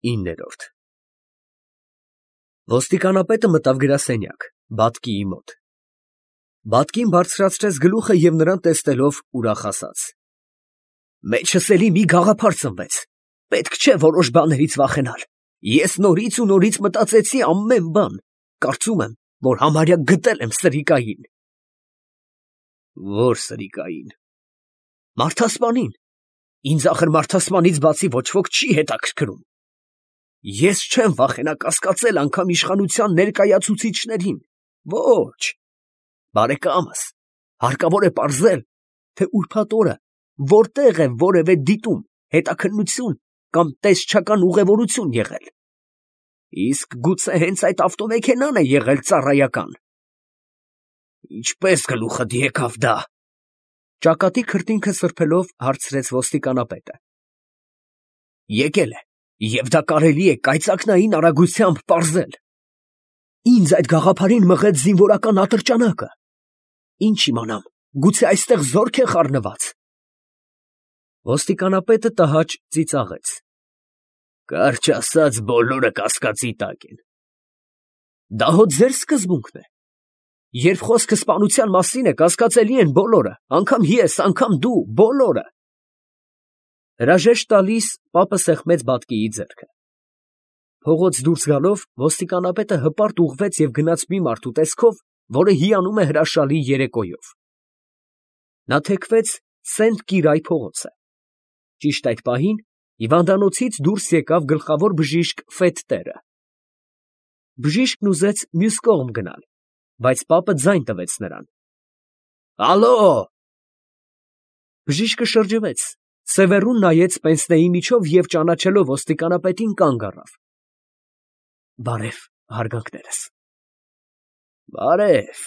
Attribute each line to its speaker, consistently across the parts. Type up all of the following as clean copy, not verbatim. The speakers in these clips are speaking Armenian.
Speaker 1: 9-րդ Ոստիկանապետը մտավ գրասենյակ, բատկիի մոտ։ Բատկին բարձրացրեց գլուխը և նրան տեսնելով ուրախ ասաց. Մեջս էլի մի գաղափար ծնվեց, պետք չէ որոշ բաներից վախենալ, ես նորից ու նորից մտածեցի ամեն բան, կարծում եմ, որ համարյա գտել եմ սրիկային։ Ո՞ր սրիկային։ Մարդասպանին, ինձ ախր մարդասպանից բացի ոչ ոք չի հետաքրքրում։ Ես չեմ վախենա կասկածել անգամ իշխանության ներկայացուցիչներին, ոչ, բարեկամս, հարկավոր է պարզել, թե ուրբաթ օրը որտեղ է որևէ դիտում, հետաքննություն կամ տեսչական ուղևորություն եղել։ Իսկ գուցե հենց այդ ավտոմեքենան է եղել ծառայական։ Ինչպես գլուխդ եկավ դա։ Ճակատի քրտինքը սրբելով հարցրեց ոստիկանապետը։ Եկել է, և դա կարելի է կայծակնային արագությամբ պարզել։ Ինձ այդ գաղափարին մղեց զինվորական ատրճանակը։ Ինչ իմանամ, գուցե այստեղ զորք է խառնված։ Ոստիկանապետը տհաճ ծիծաղեց։ Կարճ ասած, բոլորը կասկածի տակ են։ Դա հո ձեր սկզբունքն է։ Երբ խոսքը սպանության մասին է, կասկածելի են բոլորը, անգամ ես, անգամ դու, բոլորը։ Հրաժեշտ տալիս, պապը սեղմեց բատկիի ձեռքը։ Փողոց դուրս գալով, ոստիկանապետը հպարտ ուղղվեց և գնաց մի մարդու տեսքով, որը հիանում է հրաշալի երեկոյով։ Նա թեքվեց Սենտ Կիրայ փողոցը։ Ճիշտ այդ պահին հիվանդանոցից դուրս եկավ գլխավոր բժիշկ Ֆեթտերը։ Բժիշկն ուզեց մյուս կողմ գնալ, բայց պապը ձայն տվեց նրան։ Ալո։ Բժիշկը շրջվեց, սևեռուն նայեց պենսնեի միջով և ճանաչելով ոստիկանապետին կանգ առավ։ Բարև, հարգանքներս։ Բարև։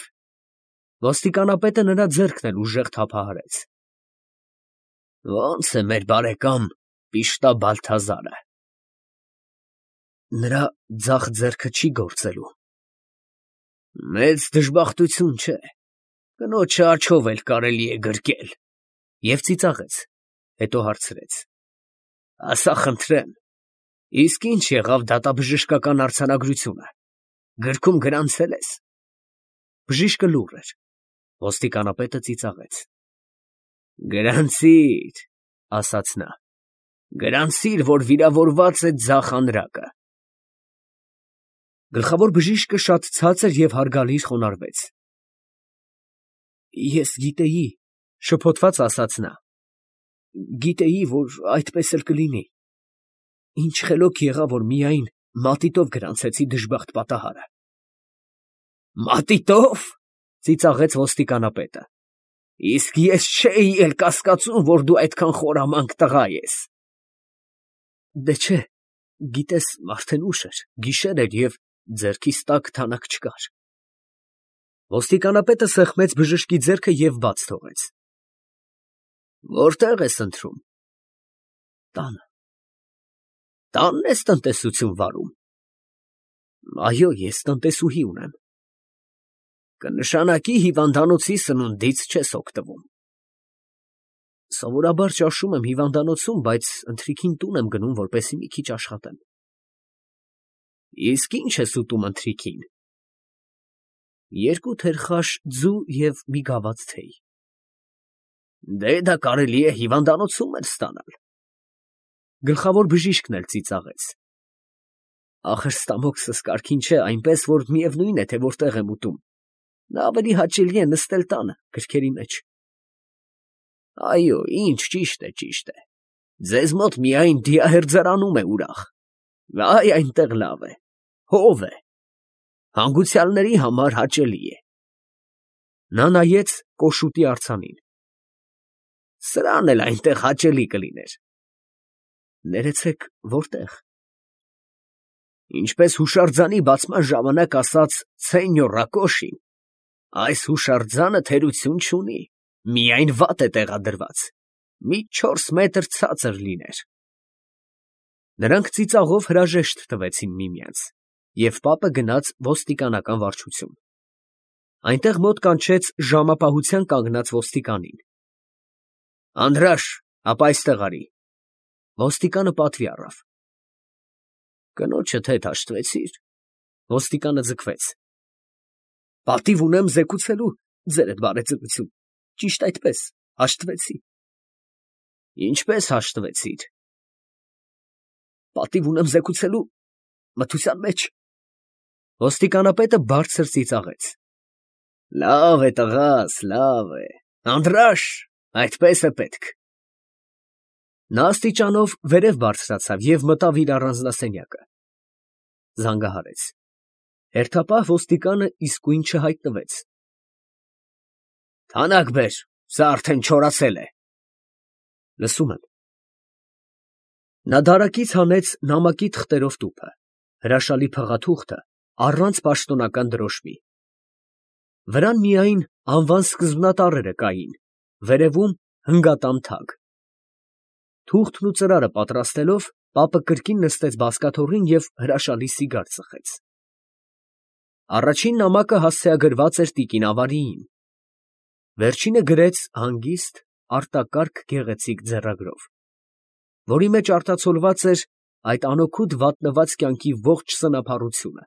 Speaker 1: Ոստիկանապետը նրա ձեռքն էլ ուժեղ թափահարեց։ Ո՞նց է մեր բարեկամ Պիշտա Բալթազարը։ Նրա ձախ ձեռքը չի գործելու։ Մեծ դժբախտություն չէ, կնոջը աջով էլ կարելի է գրկել։ Եվ ծիծաղեց, հետո հարցրեց. Ասա խնդրեմ, իսկ ինչ եղավ դատաբժշկական արձանագրությունը, գրքում գրանցել ես։ Բժիշկը լուռ էր, ոստիկանապետը ծիծաղեց։ Գրանցիր, ասաց նա, գրանցիր, որ վիրավորված է ձախ անրակը։ Գլխավոր բժիշկը շատ ցածր և հարգալից խոնարհվեց։ Ես գիտեի, շփոթված ասաց նա, գիտեի, որ այդպես էլ կլինի։ Ինչ խելոք եղա, որ միայն մատիտով գրանցեցի դժբախտ պատահարը։ Մատիտով, ծիծաղեց ոստիկանապետը։ Իսկ ես չէի էլ կասկածում, որ դու այդքան խորամանկ տղա ես։ Դե չէ, գիտես, արդեն ուշ էր, գիշեր էր և ձեռքիս տակ թանակ չկար։ Ոստիկանապետը սեղմեց բժշկի ձեռքը և բաց թողեց։ Որտե՞ղ ես ընթրում։ Տանը։ Տանն ես տնտեսություն վարում։ Այո, ես տնտեսուհի ունեմ։ Կնշանակի հիվանդանոցի սնունդից չես օգտվում։ Սովորաբար ճաշում եմ հիվանդանոցում, բայց ընթրիքին տուն եմ գնում, որպեսզի մի քիչ աշխատեմ։ Իսկ ինչ ես ուտում ընթրիքին։ 2 թերխաշ ձու և մի գավաթ թեյ։ Դե դա կարելի է հիվանդանոցում էլ ստանալ։ Գլխավոր բժիշկն էլ ծիծաղեց։ Ախր ստամոքսս կարգին չէ, այնպես որ միևնույն է, թե որտեղ եմ ուտում։ Նա ավելի հաճելի է նստել տանը, գրքերի մեջ։ Այո, ինչ ճիշտ է։ Ձեզ մոտ միայն դիահերձարանում է ուրախ։ Այ այնտեղ լավ է, հով է։ Հանգուցյալների համար հաճելի է։ Նա նայեց կոշուտի արձանին։ Սրան էլ այնտեղ հաճելի կլիներ։ Ներեցեք, որտեղ։ Ինչպես հուշարձանի բացման ժամանակ ասաց Ցենյո Ռակոշին, այս հուշարձանը թերություն չունի, միայն վատ է տեղադրված, մի 4 մետր ցածր լիներ։ Նրանք ծիծաղով հրաժեշտ տվեցին միմյանց, և պապը գնաց ոստիկանական վարչություն։ Այնտեղ մոտ կանչեց ժամապահության կանգնած ոստիկանին։ Անդրաշ, ապա այստեղ արի։ Ոստիկանը պատվի առավ։ Կնոջդ հետ հաշտվեցի՞ր։ Ոստիկանը ձգվեց։ Պատիվ ունեմ զեկուցելու ձերդ բարեձայնություն։ Ճիշտ այդպես, հաշտվեցի։ Ինչպես հաշտվեցիր։ Պատիվ ունեմ զեկուցելու մթության մեջ։ Ոստիկանապետը բարձր ծիծաղեց։ Լավ է, տղաս, լավ է։ Անդրաշ, այդպես է պետք։ Նա աստիճանով վերև բարձրացավ և մտավ իր առանձնասենյակը։ Զանգահարեց։ Հերթապահ ոստիկանը իսկույն չհայտնվեց։ Թանաք բեր, սա արդեն չորացել է։ Լսում եմ։ Նա դարակից հանեց նամակի թղթերով տուփը, հրաշալի փղաթուղթը առանց պաշտոնական դրոշմի։ Վրան միայն անվան սկզբնատառերը կային, վերևում հնգատամ թագ։ Թուղթն ու ծրարը պատրաստելով, պապը կրկին նստեց բազկաթոռին և հրաշալի սիգար ծխեց։ Առաջին նամակը հասցեագրված էր տիկին Ավարիին։ Վերջինը գրեց հանգիստ, արտակարգ գեղեցիկ ձեռագրով, որի մեջ արտացոլված էր այդ անօգուտ վատնված կյանքի ողջ սնափառությունը։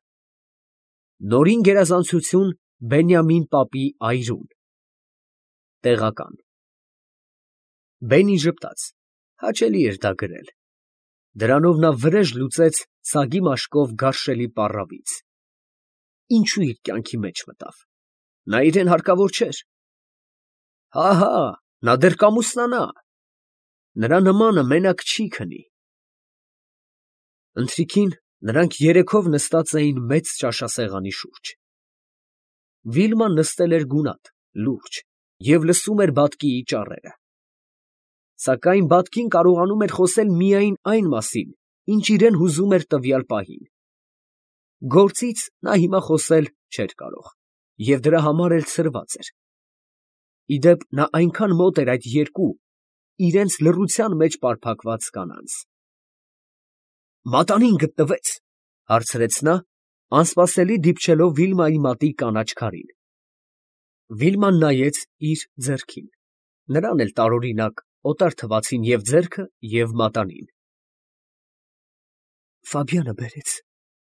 Speaker 1: Նորին գերազանցություն Բենյամին պապի այրուն։ Տեղական։ Բենին ժպտաց, հաճելի էր դա գրել։ Դրանով նա վրեժ լուծեց սագի մաշկով գարշելի պառավից։ Ինչու իր կյանքի մեջ մտավ։ Նա իրեն հարկավոր չէր։ Հա, նա դեռ կամուսնանա։ Նրա նմանը մենակ չի քնի։ Ընթրիքին նրանք երեքով նստած էին մեծ ճաշասեղանի շուրջ։ Վիլման նստել էր գունատ, լուրջ, և լսում էր բատկիի ճառերը։ Սակայն բատկին կարողանում էր խոսել միայն այն մասին, ինչ իրեն հուզում էր տվյալ պահին։ Գործից նա հիմա խոսել չէր կարող, և դրա համար էլ ցրված էր։ Ի դեպ, նա այնքան մոտ էր այդ երկու, իրենց լռության մեջ պարփակված կանանց։ Մատանին գտնվեց, հարցրեց նա, անսպասելի դիպչելով Վիլմայի մատի կանաչ քարին։ Վիլման նայեց իր ձեռքին, նրան էլ տարօրինակ օտար թվացին և ձեռքը, և մատանին։ Ֆաբիանը բերեց,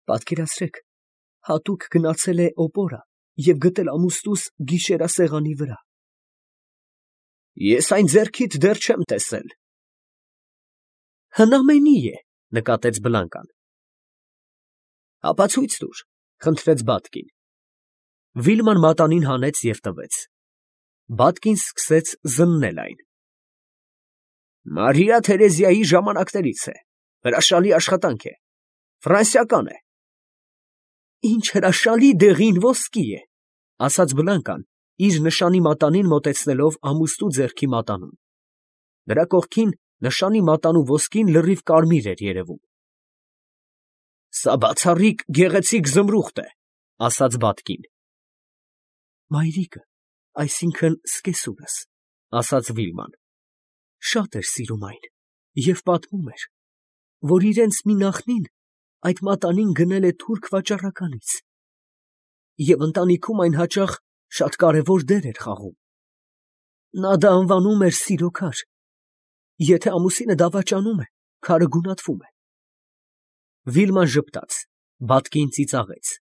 Speaker 1: պատկերացրեք, հատուկ գնացել է օպորա և գտել ամուստուս գիշերասեղանի վրա։ Ես այն ձեռքիդ դեռ չեմ տեսել։ Հնամենի է, նկատեց Բլանկան։ Ապացույց տուր, խնդրեց բատկին։ Վիլման մատանին հանեց և տվեց։ Բատկին սկսեց զննել այն։ Մարիա Թերեզիայի ժամանակներից է, հրաշալի աշխատանք է, ֆրանսիական է։ Ինչ հրաշալի դեղին ոսկի է, ասաց Բլանկան, իր նշանի մատանին մոտեցնելով ամուստու ձեռքի մատանուն։ Նրա կողքին նշանի մատանու ոսկին լրիվ կարմիր էր երևում։ Սա բացառիկ գեղեցիկ զմրուխտ է, ասաց բատկին։ Մայրիկը, այսինքն սկեսուրս, ասաց Վիլման, շատ էր սիրում այն և պատմում էր, որ իրենց մի նախնին այդ մատանին գնել է թուրք վաճառականից, և ընտանիքում այն հաճախ շատ կարևոր դեր էր խաղում։ Նա դա անվանում էր սիրո քար։ Եթե ամուսինը դավաճանում է, քարը գունատվում է։ Վիլման ժպտաց, բատկին ծիծաղեց։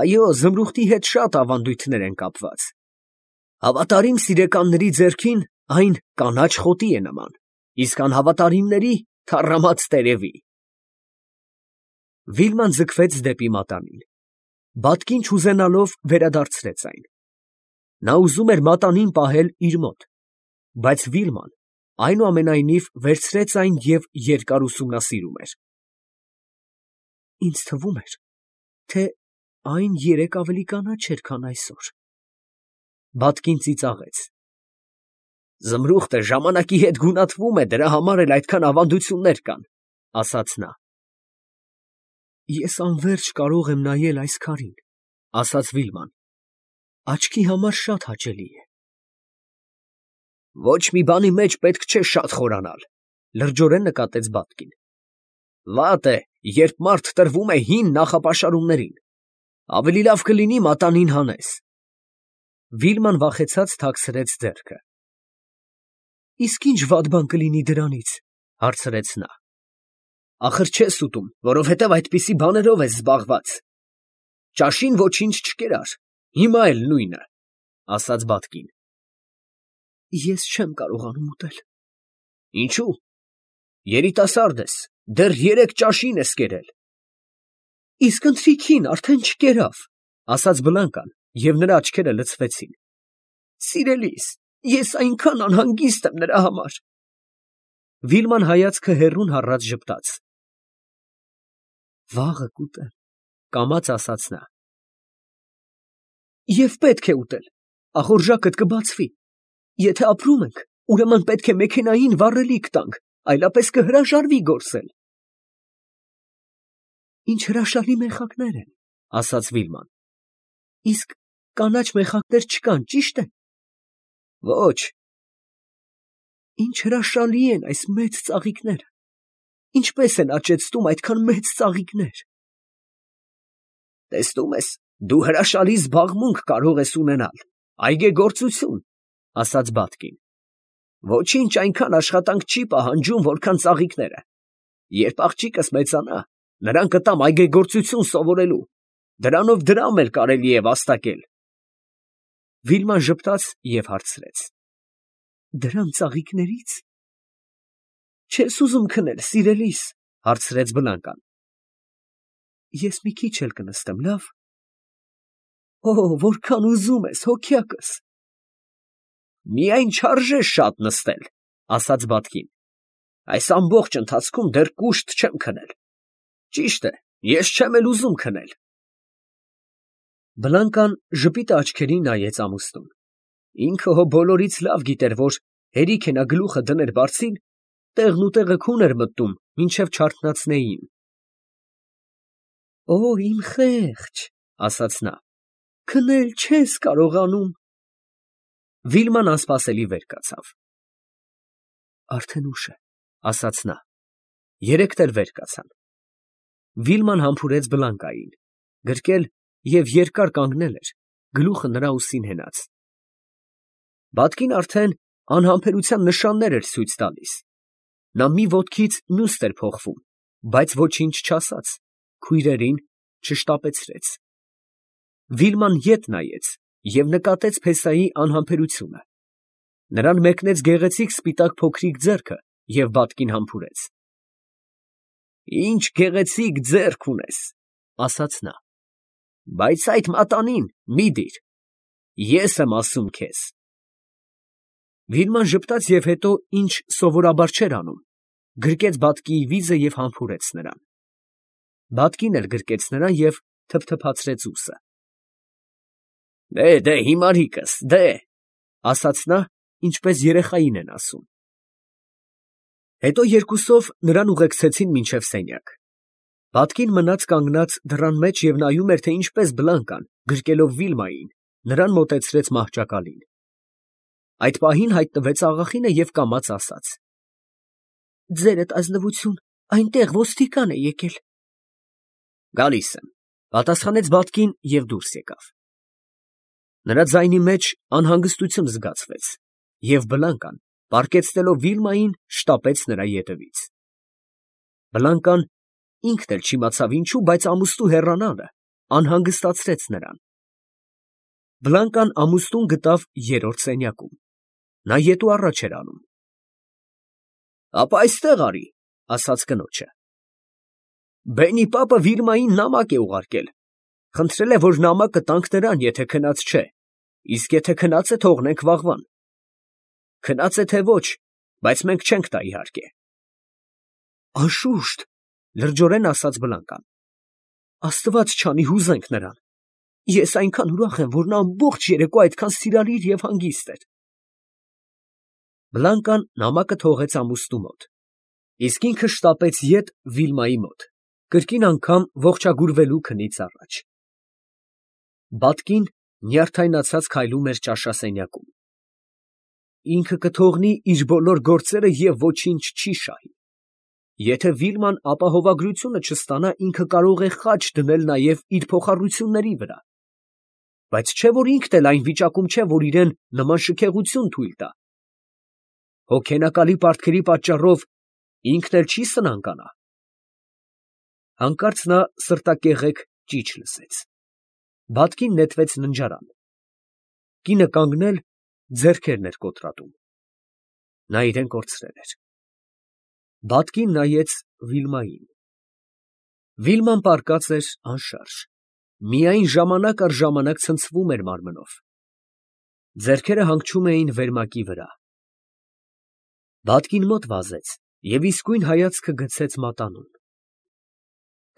Speaker 1: Այո, զմրուխտի հետ շատ ավանդույթներ են կապված։ Հավատարիմ սիրեկանների ձեռքին այն կանաչ խոտի է նման, իսկ անհավատարիմների թառամած տերևի։ Վիլման ձգվեց դեպի մատանին։ Բատկին չուզենալով վերադարձրեց այն։ Նա ուզում էր մատանին պահել իր մոտ, բայց Վիլման այնուամենայնիվ վերցրեց այն և երկար ուսումնասիրում էր։ Ինձ թվում էր, թե այն երեկ ավելի կանաչ էր, քան այսօր։ Բատկին ծիծաղեց։ Զմրուխտը ժամանակի հետ գունատվում է, դրա համար էլ այդքան ավանդություններ կան, ասաց նա։ Ես անվերջ կարող եմ նայել այս քարին, ասաց Վիլման։ Աչքի համար շատ հաճելի է։ Ոչ մի բանի մեջ պետք չէ շատ խորանալ, լրջորեն նկատեց բատկին։ Վատ է, երբ մարդ տրվում է հին նախապաշարումներին։ Ավելի լավ կլինի մատանին հանես։ Վիլման վախեցած թաքցրեց ձեռքը։ Իսկ ինչ վատ բան կլինի դրանից, հարցրեց նա։ Ախր չես ուտում, որովհետև այդպիսի բաներով ես զբաղված։ Ճաշին ոչինչ չկերար, հիմա էլ նույնը, ասաց Բատկին։ Ես չեմ կարողանում ուտել։ Ինչու՞։ Երիտասարդ ես, դեռ 3 ճաշին ես կերել։ Իսկ ընթրիքին արդեն չկերավ, ասաց Բլանկան, և նրա աչքերը լցվեցին։ Սիրելիս, ես այնքան անհանգիստ եմ նրա համար։ Վիլման հայացքը հեռուն հառած ժպտաց։ Վաղը կուտեմ, կամաց ասաց նա։ Եվ պետք է ուտել, ախորժակդ կբացվի։ Եթե ապրում ենք, ուրեմն պետք է մեքենային վառելիք տանք, այլապես կհրաժարվի գործել։ Ինչ հրաշալի մեխակներ են, ասաց Վիլման։ Իսկ կանաչ մեխակներ չկան, ճիշտ է։ Ոչ։ Ինչ հրաշալի են այս մեծ ծաղիկները։ Ինչպես են աճեցնում այդքան մեծ ծաղիկներ։ Տեսնում ես, դու հրաշալի զբաղմունք կարող ես ունենալ, այգեգործություն, ասաց Բատկին։ Ոչինչ այնքան աշխատանք չի պահանջում, որքան ծաղիկները։ Երբ աղջիկս մեծանա, նրան կտամ այգեգործություն սովորելու, դրանով դրամ էլ կարելի է վաստակել։ Վիլման ժպտաց և հարցրեց. Դրամ ծաղիկների՞ց։ Չես ուզում քնել, սիրելիս, հարցրեց Բլանկան։ Ես մի քիչ էլ կնստեմ, լավ։ Օ, որքան ուզում ես, հոգյակս։ Միայն չարժե շատ նստել, ասաց Բատկին։ Այս ամբողջ ընթացքում դեռ կուշտ չեմ քնել։ Ճիշտ է, ես չեմ էլ ուզում քնել։ Բլանկան ժպիտը աչքերին նայեց ամուսնուն։ Ինքը հո բոլորից լավ գիտեր, որ հերիք է նա գլուխը դներ բարձին, տեղն ու տեղը քուն էր մտնում, մինչև չարթնացնեին։ Օ, իմ խեղճ, ասաց նա, քնել չես կարողանում։ Վիլման անսպասելի վեր կացավ։ Արդեն ուշ է, ասաց նա։ Երեքն էլ վեր կացան։ Վիլման համբուրեց Բլանկային, գրկել և երկար կանգնել էր, գլուխը նրա ուսին հենած։ Բատկին արդեն անհամբերության նշաններ էր ցույց տալիս։ Նա մի ոտքից մյուսն էր փոխվում, բայց ոչինչ չասաց, քույրերին չշտապեցրեց։ Վիլման ետ նայեց և նկատեց փեսայի անհամբերությունը։ Նրան մեկնեց գեղեցիկ սպիտակ փոքրիկ ձեռքը և Բատկին համբուրեց։ Ինչ գեղեցիկ ձեռք ունես, ասաց նա, բայց այդ մատանին մի դիր, ես եմ ասում քեզ։ Վիլման ժպտաց և հետո, ինչ սովորաբար չէր անում, գրկեց Բատկիի վիզը և համբուրեց նրան։ Բատկին էլ գրկեց նրան և թփթփացրեց ուսը։ Դե, հիմարիկս, դե, ասաց նա, ինչպես երեխային են ասում։ Հետո երկուսով նրան ուղեկցեցին մինչև սենյակ։ Բատկին մնաց կանգնած դռան մեջ և նայում էր, թե ինչպես Բլանկան, գրկելով Վիլմային, նրան մոտեցրեց մահճակալին։ Այդ պահին հայտնվեց աղախինը և կամաց ասաց. Ձերդ ազնվություն, այնտեղ ոստիկան է եկել։ Գալիս եմ, պատասխանեց Բատկին և դուրս եկավ։ Նրա ձայնի մեջ անհանգստություն զգացվեց, և Բլանկան, պառկեցնելով Վիլմային, շտապեց նրա ետևից։ Բլանկան ինքն էլ չիմացավ ինչու, բայց ամուսնու հեռանալը անհանգստացրեց նրան։ Բլանկան ամուսնուն գտավ երրորդ սենյակում։ Նա ետու առաջ էր անում։ Ապա այստեղ արի, ասաց կնոջը։ Բենի պապը Վիլմային նամակ է ուղարկել։ Խնդրել է, որ նամակը տանք նրան, եթե քնած չէ, իսկ եթե քնած է, թողնենք վաղվան։ Քնած է թե ոչ, բայց մենք չենք տա իհարկե։ Անշուշտ, լրջորեն ասաց Բլանկան։ Աստված չանի, հուզենք նրան։ Ես այնքան ուրախ եմ, որ նա ամբողջ երեկո այդքան սիրալիր և հանգիստ էր։ Բլանկան նամակը թողեց ամուսնու մոտ, իսկ ինքը շտապեց ետ Վիլմայի մոտ, կրկին անգամ ողջագուրվելու քնից առաջ։ Բատկին նյարդայնացած քայլում էր ճաշասենյակում։ Ինքը կթողնի իր բոլոր գործերը և ոչինչ չի շահի։ Եթե Վիլման ապահովագրությունը չստանա, ինքը կարող է խաչ դնել նաև իր փոխառությունների վրա։ Բայց չէ՞ որ ինքն էլ այն վիճակում չէ, որ իրեն նման շքեղություն թույլ տա։ Հոգենակալի պարտքերի պատճառով ինքն էլ չի սնանկանա։ Հանկարծ նա սրտակեղեք ճիչ լսեց։ Բաթկին նետվեց ննջարան։ Կինը կանգնել, ձեռքերն էր կոտրատում։ Նա իրեն կորցրել էր։ Բաթկին նայեց Վիլմային։ Վիլման պառկած էր անշարժ, միայն ժամանակ առ ժամանակ ցնցվում էր մարմնով։ Ձեռքերը հանգչում էին վերմակի վրա։ Բաթկին մոտ վազեց և իսկույն հայացքը գցեց մատանուն։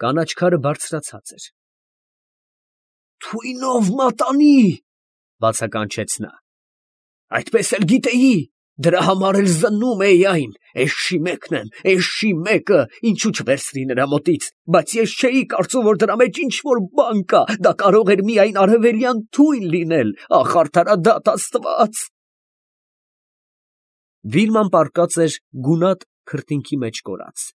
Speaker 1: Կանաչ քարը բարձրացած էր։ «Թույնով մատանի!» բացականչեց նա։ «Այդպես էլ գիտեի, դրա համար էլ զննում էի այն, էշի մեկն եմ, էշի մեկը, ինչու չվերցրի նրա մոտից, բայց ես չէի կարծում, որ դրա մեջ ինչ֊որ բան կա, դա կարող էր միայն արևելյան թույն լինել, ախ, արդարադատ Աստված»։ Վիլման պառկած էր գունատ քրտինքի մեջ կորած։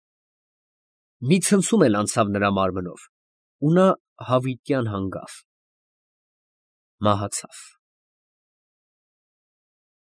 Speaker 1: Մի ցնցում էլ անցավ նրա մարմնով, ու նա հավիտյան հանգավ, մահացավ։